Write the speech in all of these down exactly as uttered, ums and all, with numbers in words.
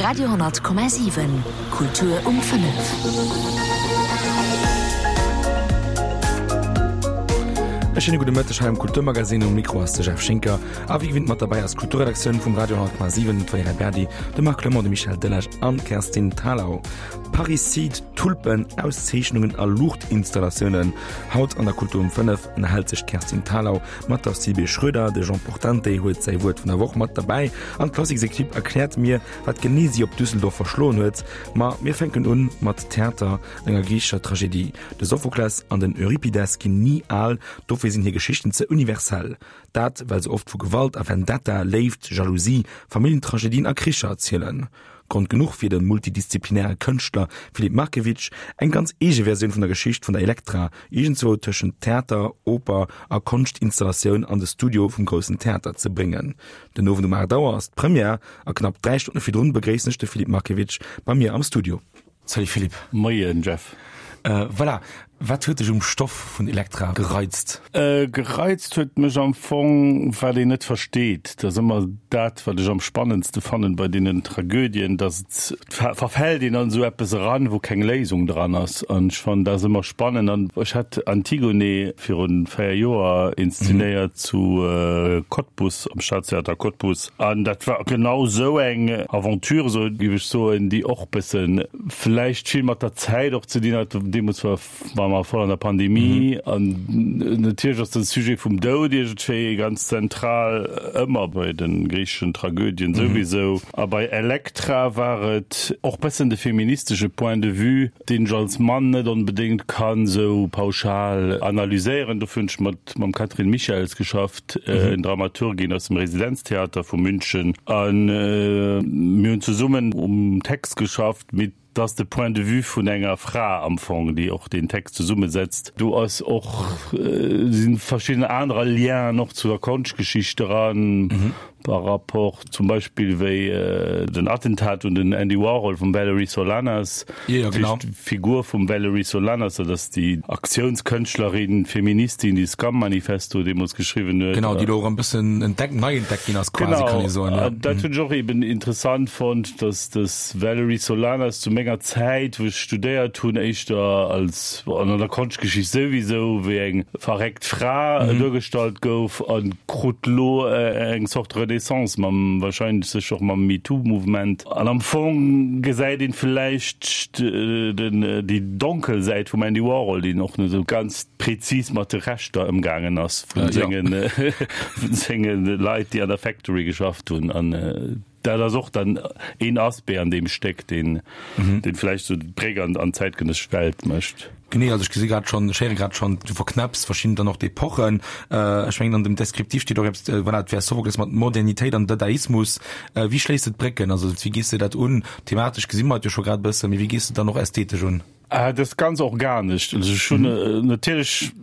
Radio honnert Komma siwen, Kultur um fënnef. E schéine gudde Mëtteg hei am Kulturmagazin. Um Mikro ass de Jeff Schinker a wéi gewinnt mat derbäi ass d'Kulturredaktioun vum Radio honnert Komma siwen, d'Valerija Berdi, de Marc Clement, de Michel Delage an d'Kerstin Thalau. Parricide, Tulpen, Auszeechnungen a Luuchtinstallatiounen. Haut an der Kultur um fënnef ënnerhält sech d'Kerstin Thalau mat der Sibylle Schröder. De Jean Portante huet säi Wuert vun der Woch mat derbäi an d'Klassiks-Equipe erkläert mir, wat genee si op Düsseldorf verschloen huet. Ma mir fänken un mat Theater, enger griichescher Tragedie. De Sophokles an den Euripides ginn ni al, dofir sinn hir Geschichten ze universell. Dat well se oft vu Gewalt a Vendetta, Léift, Jalousie, Familljentragedien a Kricher erzielen. Grond genuch fir de multidisziplinäre Kënschtler Filip Markiewicz, eng ganz eege Versioun vun der Geschicht vun der Elektra, iergendzwou tëschent Theater, Oper a Konschtinstallatioun an de Studio vum Groussen Theater ze bréngen. Den Owend um aacht Auer ass d'Première a knapp dräi Stonne virdrun begréissen ech de Filip Markiewicz bei mir am Studio. Salut Philippe. Moien Jeff. Voilà, wat huet dech um Stoff vun Elektra gereizt? Gereizt huet mech am Fong, wat een net versteet. Dat ass ëmmer dat, wat ech am spannendste fannen bei deenen Tragödien, dass et verfält een an esou eppes eran, wou keng Léisung dran ass. An ech fannen dat ass ëmmer spannend. An ech hat Antigone virun véier Joer inszenéiert zu Cottbus, am Staatstheater Cottbus. An dat war genau esou eng Aventure, esou géif ech soen, déi och bëssen vläicht vill mat der Zäit och ze dinn hat. Deemools war war mer voll an der Pandemie an natierlech ass de Sujet vum Doud iergendwéi ganz zentral, ëmmer bei de griicheschen Tragödien souwisou. A bei Elektra war et och bëssen de feministesche Point de vue, deen ech als Mann net onbedéngt kann esou pauschal analyséieren. Dofir hunn ech mat mam Catherine Michels geschafft, en Dramaturgin aus dem Residenztheater vu München, a mir hunn zesummen um Text geschafft, mee Et ass de Point de vue vun enger Fra am Fong, déi och deen Text zesummesetzt. Do ass och, si verschidden anerer Lienen och zu der Konschtgeschicht dran, par rapport zum Beispill wéi den Attentat un den Andy Warhol vum Valerie Solanas, d'Figur vum Valerie Solanas, dat ass déi Aktiounskënschtlerin, Feministin, déi Scum-Manifesto deemools geschriwwen huet. Genau, déi elo erëm e bëssen entdeckt, nei entdeckt ginn ass quasi, kann ee soen. Genau, dat hunn ech och eben interessant fonnt, dass dës Valerie Solanas zu menger Zäit, wou ech studéiert hunn, éischter als, an an der Konschtgeschicht souwisou, wéi eng verréckt Fra duergestallt gouf a krut lo eng Zort Renaissance mam, wahrscheinlech sécher och mam MeToo-Mouvement. An am Fong gesäit een vläicht den, déi donkel Säit vum Andy Warhol, deen och net esou ganz prezis mat de Rechter ëmgaangen ass vun sengen, vun senge Leit, déi an der Factory geschafft hunn. An Dat ass och dann een Aspect an deem Stéck, deen deen vläicht esou d'Bréck an an d'zäitgenëssesch Welt mécht. Genee, also ech gesi grad schonn, ech héiere grad schonn, du verknäpps verschidden dann och d'Epochen. Ech mengen an dem Descriptif steet och eppes, voilà, et wär Sophokles mat Modernitéit an Dadaismus. Wéi schléiss de d'Brécken? Also wéi gees de dat un? Thematesch gesi mer et jo scho grad e bëssen, mee wéi gees de dann och ästhetesch un? Dat ass ganz organesch. Also ech hunn natierlech,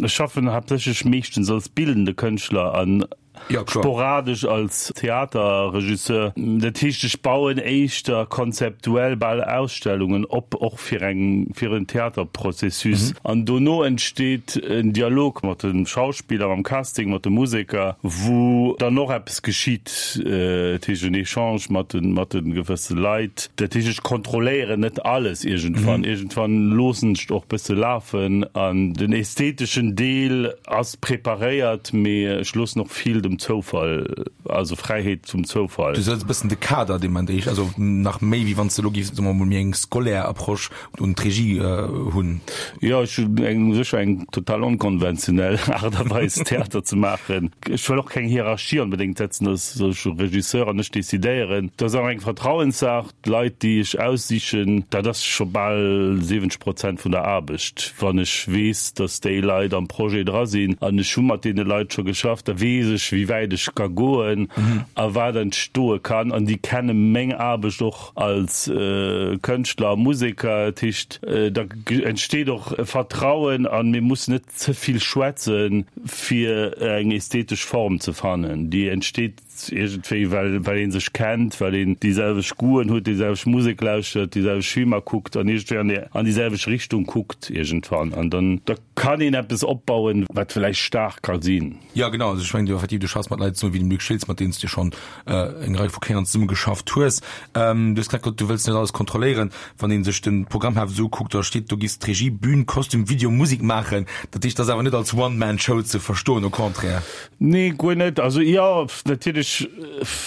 ech schaffen haaptsächlech meeschtens als bildende Kënschtler an Ja, kloer. Sporadesch als Theaterregisseur. Dat heescht, ech bauen éischter konzeptuell bal Ausstellungen op, och fir eng, fir en Theaterprozessus. An dono entsteet en Dialog mat de Schauspiller, mam Casting, mat de Museker, wou dann och eppes geschitt. Dat heescht en Echange mat de, mat de gewësse Leit. Dat heescht, ech kontrolléieren net alles iergendwann. Iergendwann loossen ech et och bësse lafen an den ästheteschen Deel ass preparéiert, mee ech loossen och vill dem Zoufall, also Fräiheet zum Zoufall. Du setz e bëssen de Kader, dee man déi, also nach méi wéi wann s de elo géifs, soe mer mol, méi eng scolaire Approche un d'Regie hunn. Jo, ech hunn eng sécher eng total onkonventionell Aart a Weis Theater ze maachen. Ech wëll och keng Hierarchie onbedéngt setzen, dass ech Regisseur an ech decidéieren. Dat ass och eng Vertrauenssaach. D'Leit, déi ech aussichen, dat ass scho bal siwwenzeg Prozent vun der Aarbecht. Wann ech weess, datt déi Leit am Projet dra sinn an ech hu mat deene Leit scho geschafft, da weess ech, wéi wäit ech ka goen a wat entstoe kann. An déi kenne meng Aarbecht och als Kënschtler a Museker. Dat heescht, da entsteet och e Vertrauen a mir mussen net ze vill schwätzen, fir eng ästhetesch Form ze fannen. Déi entsteet Iergendwéi, well, well ee sech kennt, well een déi selwecht Goûten huet, déi selwecht Musek lauschtert, déi selwecht Filmer kuckt an iergendwéi an déi, an déi selwecht Richtung kuckt iergendwann. An dann, da kann een eppes opbauen, wat vläicht staark ka sinn. Jo, genau. Also ech mengen, du effektiv, du du schaffs mat Leit zesummen wéi dem Luc Schiltz, mat deenen s du schonn eng Rei vu Kéieren zesumme geschafft hues. Du hues grad gesot, du wëlls net alles kontrolléieren. Wann ee sech de Programmheft esou ukuckt, da steet do, giss d'Regie, Bühn, Kostüm, Video, Musek maachen. Dat heescht, dat ass awer net als One-Man-Show ze verstoen, au contraire. Nee, guer net. Also jo, natierlech,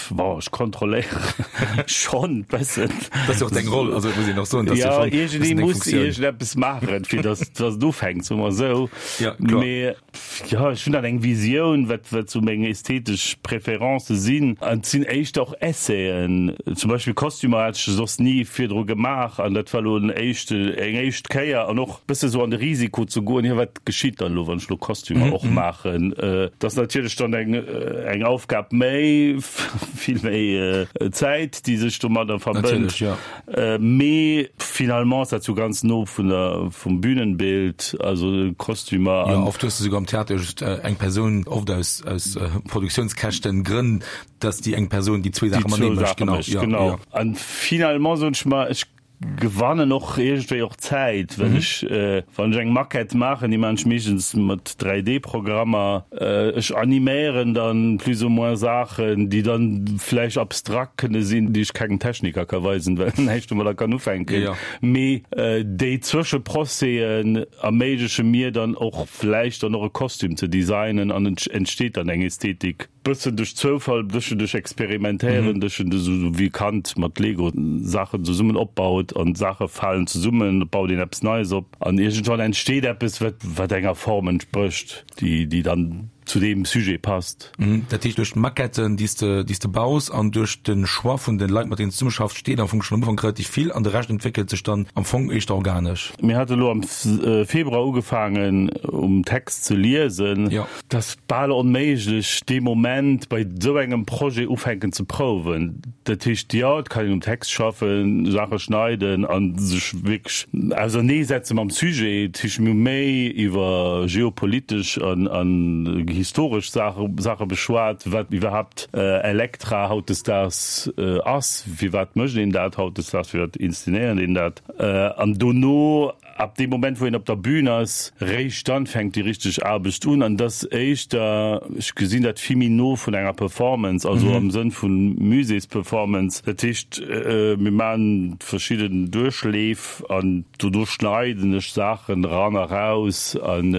bon, ech kontrolléieren schonn e bëssen. Dat ass jo och deng Roll, also et muss een och soen, dat ass jo Ja, schonn e bëssen iergendee deng muss Funktioun. iergendeppes maachen, fir datt datt et ufänkt, soe mer esou. Ja, kloer. Mee jo, ech hunn dann eng Visioun, wat wat sou meng ästhetesch Preferencë sinn. An et sinn éischter och Essaien. Zum Beispill Kostümer hat ech soss ni virdru gemaach an dat war elo en éischte, eng éischt Kéier an och bësse sou an de Risiko ze goen, jo wat geschitt dann elo, wann ech elo Kostümer och maachen. Dat ass natierlech dann eng, eng Aufgab méi, vill méi Zäit, déi sech domadder verbënnt. Natierlech, jo. Mee finalement ass dat sou ganz no vun der, vum Bühnenbild, also Kostümer Jo, an. oft hues de souguer am Theater just eng Persoun, oft aus, aus Produktiounskäschten Grënn, dass déi eng Persoun déi zwee Saache matenee mécht. Genau, ja, genau. Ja. An finalement soen ech mer, ech gewannen och iergendwéi och Zäit, well ech, äh, wann ech eng Maquette maachen, déi maan ech meeschtens mat dräi D-Programmer, äh, ech animéieren dann plus ou moins Saachen, déi dann vläicht abstrakt kënne sinn, déi ech kengem Techniker ka weisen, well en näischt domadder kann ufänken. Ja. Mee äh, déi Zwëscheprocésen erméigleche mir dann och vläicht dann och e Kostüm ze designen an et entsteet dann eng Ästhetik. Bëssen duerch Zoufall, bëssen duerch Experimentéieren, bëssen esou wéi e Kand mat Lego Saachen zesummen opbaut an Saache falen zesummen, baut een eppes Neies op an iergendwann entsteet eppes, wat, wat enger Form entsprécht, déi, déi dann zu deem Sujet passt. Dat heescht, duerch d'Maquetten, déi s de, déi s de baus an duerch de Choix vun de Leit, mat deenen s de zesummeschaffs, steet am Fong schonn am Ufank relativ vill an de Rescht entwéckelt sech dann am Fong éischter organesch. Mir hate lo am Februar ugefaangen um Text ze liesen. Jo. Et ass bal onméiglech dee Moment bei esou engem Projet ufänken ze prouwen. Dat heescht, jo, et kann een um Text schaffen, Saache schneiden a sech wierklech auserneesetze mam Sujet. Dat heescht, mir hu méi iwwer geopolitesch an an historesch Saache Saache beschwat, wat iwwerhaapt Elektra hautdesdaags ass, firwat mécht een dat hautdesdaags, firwat inszenéiert een dat. An dono, ab deem Moment wou een op der Bühn ass, réischt dann fänkt déi richteg Aarbecht un. An dat ass éischter, ech gesinn dat vill méi no vun enger Performance, also am Sënn vu Muséesperformance. Dat heescht, mir maachen verschidden Duerchleef an dono schneiden ech Saachen eran a raus an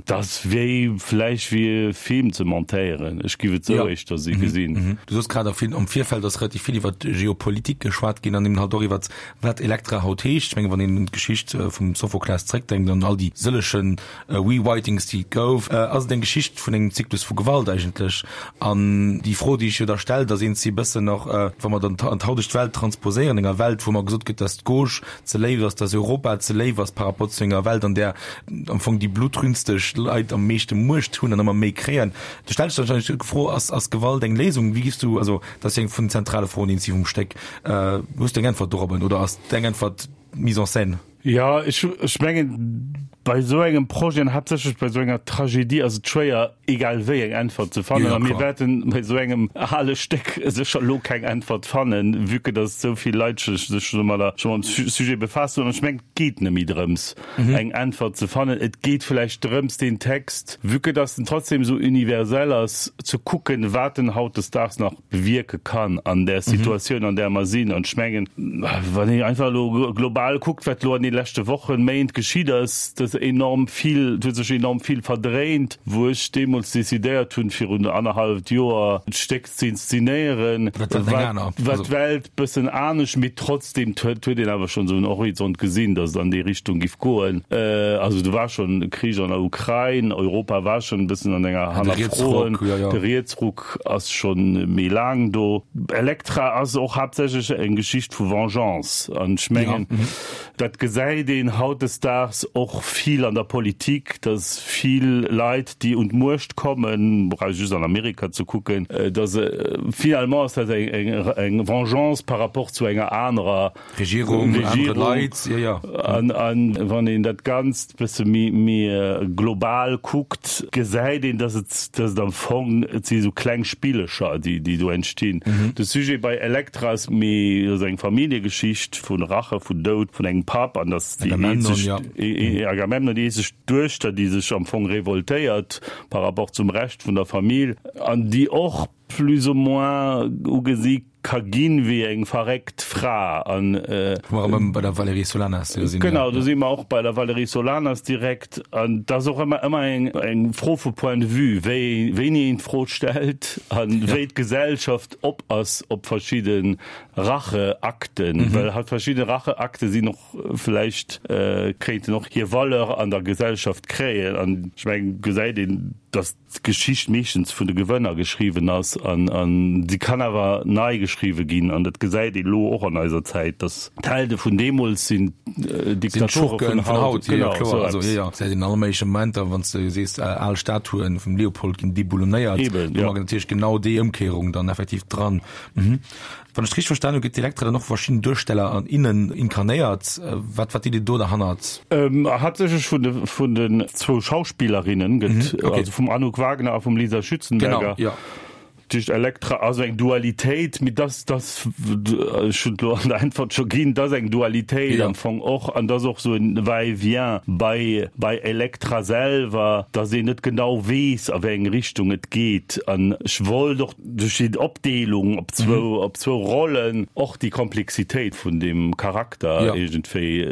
dat ass wéi vläicht wéi e Film ze montéieren. Ech giff et sou éischter gesinn. Du soos grad, am Virfeld ass relativ vill iwwer Geopolitik geschwat ginn an eben halt och iwwer wat Elektra haut heescht. Ech mengen, wann een un d'Geschicht vum Sophokles zréckdenkt an all déi sëlleche Rewritings, déi et gouf, ass et eng Geschicht vun engem Zyklus vu Gewalt eigentlech. An déi Fro, déi sech jo da stellt, ass eens e bëssen och, wa mer dann an d'hautegt Welt transposéieren, enger Welt, wou mer gesot gëtt, dass d'Gauche ze léif ass, dass Europa ze léif ass par rapport zu enger Welt, an där am Fong déi blutrünsteg Leit am meeschte Muecht hunn an ëmmer méi kréien. Do stellt sech dann wahrscheinlech d'Fro, Ass, ass Gewalt eng Léisung? Wéi giffs du, also dat ass jo eng vun den zentrale Froen eens vum Stéck, hues du eng Äntwert dorobben oder ass deng Äntwert d'Mise en scène? Jo, ech, ech mengen, bei esou engem Projet an haaptsächlech bei esou enger Tragedie ass et schwéier, egal wéi eng Äntwert ze fannen. Jo, A mir kloer. wäerten bei esou engem ale Stéck sécher elo keng Äntwert fannen, vue que dass esou vill Leit sech sech domadder scho mam Sujet befaasst hunn. An ech mengen, et geet net méi drëms, eng Äntwert ze fannen. Et geet vläicht drëms, deen Text, vue que dass en trotzdem esou universell ass, ze kucken, wat en hautdesdaags nach bewierke kann an där Situatioun, an där mer sinn. An ech mengen, wann een einfach elo global kuckt, wat elo an de leschte Wochen, Méint geschitt ass, dass enorm vill, et huet sech enorm vill verdréint. Wou ech deemools decidéiert hunn, virun annerhalleft Joer d'Stéck ze inszenéieren, war d'Welt bëssen anescht, mee trotzdem huet een awer schonn esou en Horizont gesinn, dass et an déi Richtung giff goen. Also do war schonn e Krich an der Ukrain, Europa war schonn e bëssen an enger Hannerfroen, de Rietsruck ass schonn méi laang do. Elektra ass och haaptsächlech eng Geschicht vu Vengeance an ech mengen, dat gesäit een hautdesdaags och vill an der Politik, dass vill Leit, déi un d'Muecht kommen, brauch just an Amerika ze kucken, dass finalement ass dat eng Vengeance par rapport zu enger anerer Regierung, anere Leit. An wann een dat Ganzt bësse méi global kuckt, gesäit een, dass et dass et am Fong, et si sou kleng Spillecher, déi déi do entstinn. De Sujet bei Elektra ass méi, ass eng Familljegeschicht vu Rache, vun Doud vun engem Papp an an dass déi eenzeg, Agamemnon, déi eenzeg Duechter, déi sech am Fong revoltéiert par rapport zum Rescht vun der Famill an déi och plus ou moins ugesi ka ginn wéi eng verréckt Fra an. Wou mer erëm bei der Valérie Solanas sinn. Genau, do si mer och bei der Valérie Solanas direkt. An et ass och ëmmer ëmmer eng eng Fro vu Point de vue, wéi wéini een d'Fro stellt a wéi d'Gesellschaft op ass op verschidde Racheakten, well halt verschidde Racheakte sinn och vläicht kéinten och hir Valeur an der Gesellschaft kréien. An ech mengen, gesäit een, datt d'Geschicht meeschtens vun de Gewënner geschriwwen ass an an si kann awer nei geschriwwe ginn an dat gesäit ee lo och an eiser Zäit, datt d'Helde vun deemools sinn d'Diktatore vun haut. Genau, esou eppes. Jo, gesäit een an alle méigleche Momenter, wann s de sees, al Statuen vum Leopold ginn deboulonéiert, do mag natierlech genau déi Ëmkéierung dann effektiv dran. Wann ech et richteg verstanen hu, gëtt d'Elektra dann och vu verschiddenen Duersteller an innen inkarnéiert. Wat wat d'Idee do derhannert? Haaptsächlech vun de vun den zwou Schauspillerinnen gëtt, also vum Anouk Wagner a vum Lisa Schützenberger. Genau, jo. Duerch Elektra ass eng Dualitéit, mee dass dass ech hunn et elo an der Äntwert scho ginn, dass eng Dualitéit am Fong och an dass och esou en Va-et-vient bei bei Elektra selwer, dass een net genau weess a wéi eng Richtung et geet. An ech wollt och duerch déi Opdeelung op zwou op zwou Rollen och déi Komplexitéit vun deem Charakter iergendwéi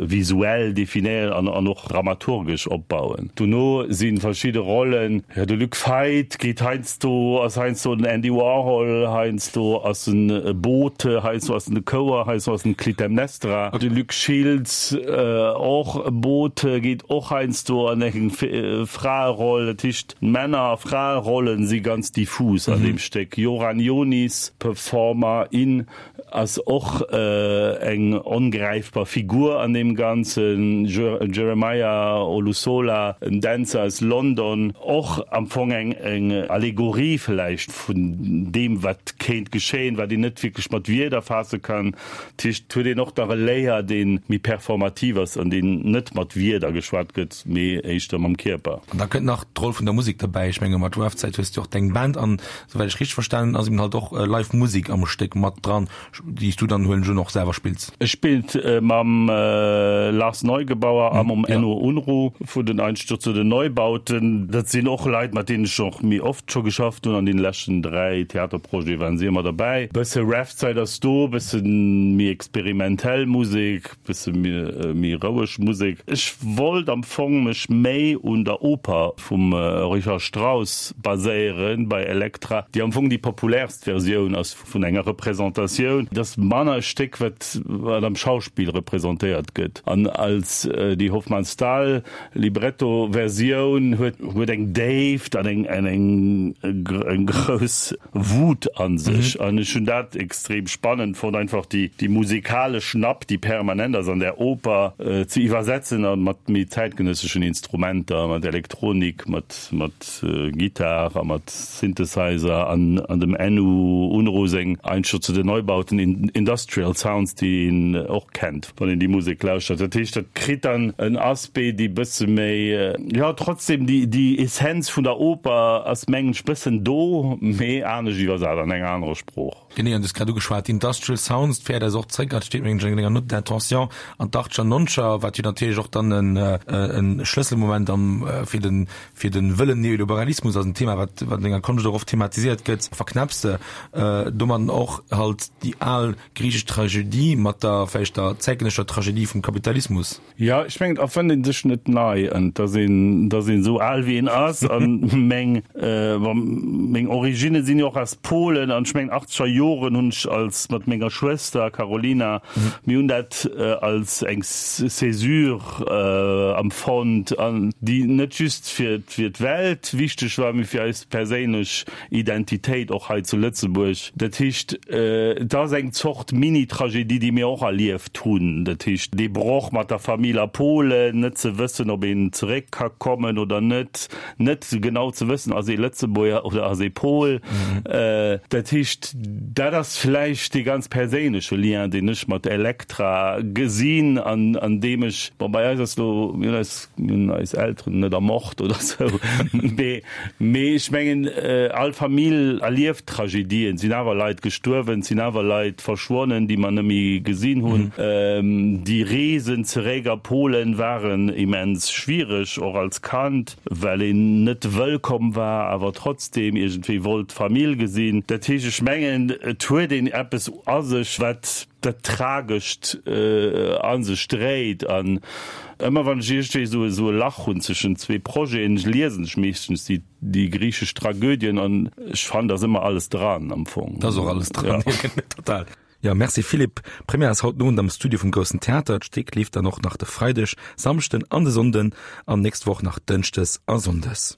visuell definéieren an an och dramaturgesch opbauen. Dono si verschidde Rollen, jo de Luc Feit geet heiansdo, ass heiansdo den Andy Warhol, heiansdo ass en e Bote, heiansdo ass en de Chouer, heiansdo ass en d'Clytemnestra. De Luc Schiltz, och e Bote, geet och heiansdo an eng Fraeroll. Dat heescht, Männer a Fraerollen si ganz diffus an deem Stéck. Joran Jonis, Performer, in, ass och eng ongräifbar Figur an deem Ganzen. Jeremiah Olusola, en Dänzer aus London, och am Fong eng Allegorie vläicht vun deem, wat kéint geschéien, wat een net wierklech mat Wierder faasse kann. Dat heescht, et huet een och nach e Layer, dee méi performativ ass an deen net mat Wierder geschwat gëtt, mee éischter mam Kierper. An da kënnt nach d'Roll vun der Musek derbäi. Ech menge mat Rough-Zäit hues du och deng Band an, souwäit ech richteg verstanen hunn, ass eben halt och live Musek am Stéck mat dran, déi s du dann, huelen ech un, och selwer spills. Ech spillt mam Lars Neugebauer a mam Enno Unruh vun den Einstürzenden Neubauten. Dat sinn och Leit, mat deenen ech och méi oft scho geschafft hunn. An deene leschten dräi Theaterprojete waren si ëmmer derbäi. Bësse Rough-Zäit ass do, bësse méi experimentell Musek, bësse méi roueg Musek. Ech wollt am Fong mech méi un der Oper vum Richard Strauss baséieren bei Elektra, déi am Fong déi populärst Versioun ass vun enger Representatioun. Et ass manner e Stéck, wat wat am Schauspill representéiert gëtt. An als déi Hofmannsthal Libretto-Versioun huet huet eng Déift an eng an eng eng grouss Wut a sech. An ech hunn dat extrem spannend fonnt, einfach déi déi musekalesch Napp, déi permanent ass an där Oper, ze iwwersetzen a mat méi zäitgenësseschen Instrumenter, mat Elektronik, mat mat Gittar a mat Synthesizer an an dem Enno Unruh seng Einstürzende Neubauten, Industrial Sounds, déi een och kennt, wann een déi Musek lauschtert. Dat heescht, dat kritt dann en Aspect, dee bësse méi, jo, trotzdem déi déi Essenz vun der Oper ass, mengen ech, bëssen do, mee anescht iwwersat an enger anerer Sprooch. Genee, an du hues grad ugeschwat, Industrial Sounds, d'féiert eis och zréck, dat steet mengen ech an denger Note d'intention, an d'Achtger, Noncher, wat jo natierlech och dann en e Schlësselmoment am fir den fir de wëllen Neoliberalismus ass, en Thema, wat wat an denger Konscht och oft thematiséiert gëtt, verknäpps de domadden och halt déi al griichesch Tragedie mat der vläicht der zäitgenëssescher Tragedie vum Kapitalismus. Jo, ech mengen, et erfënnt ee sech net nei an et ass een, et ass een esou al wéi een ass. An meng, bon, meng Originne sinn jo och aus Polen an ech mengen achtzeger Joren hunn ech als mat menger Schwëster Karolina, mir hunn dat als eng Césure empfonnt an déi net just fir fir d'Welt wichteg war, mee fir eis perséinlech Identitéit och hei zu Lëtzebuerg. Dat heescht, et ass eng Zort Mini-Tragedie, déi mir och erlieft hunn. Dat heescht, dee Broch mat der Famill a Polen, net ze wëssen, ob een zeréck ka kommen oder net, net genau ze wëssen, ass ee Lëtzebuerger oder ass ee Pol. Mol. Dat heescht, dat ass vläicht dee ganz perséinleche Lien, deen ech mat Elektra gesinn an an deem ech, bon, bei eis ass elo, mir hunn eis, mir hunn eis Elteren net ermort oder sou, mee, mee ech mengen, all Famill erlieft Tragedien, et sinn awer Leit gestuerwen, et sinn awer Leit verschwonnen, déi mer net méi gesinn hunn. Déi Reesen zeréck a Polen waren immens schwiereg, och als Kand, well een net wëllkomm war, awer trotzdem iergendwéi wollt d'Famill gesinn. Dat heescht, ech mengen, et huet een eppes a sech, wat dat Tragescht a sech dréit. An ëmmer wann ech iergendwéi esou esou e Lach hunn zwëschen zwee Projeten, liesen ech meeschtens déi déi griichesch Tragödien an ech fannen, da ass ëmmer alles dran am Fong. Da ass och alles dran, jo, total. Jo, merci Philippe. D'Première ass haut den Owend am Studio vum Groussen Theater. D'Stéck leeft dann och nach de Freideg, Samschden an de Sonnden an nächst Woch nach Dënschdes a Sonndes.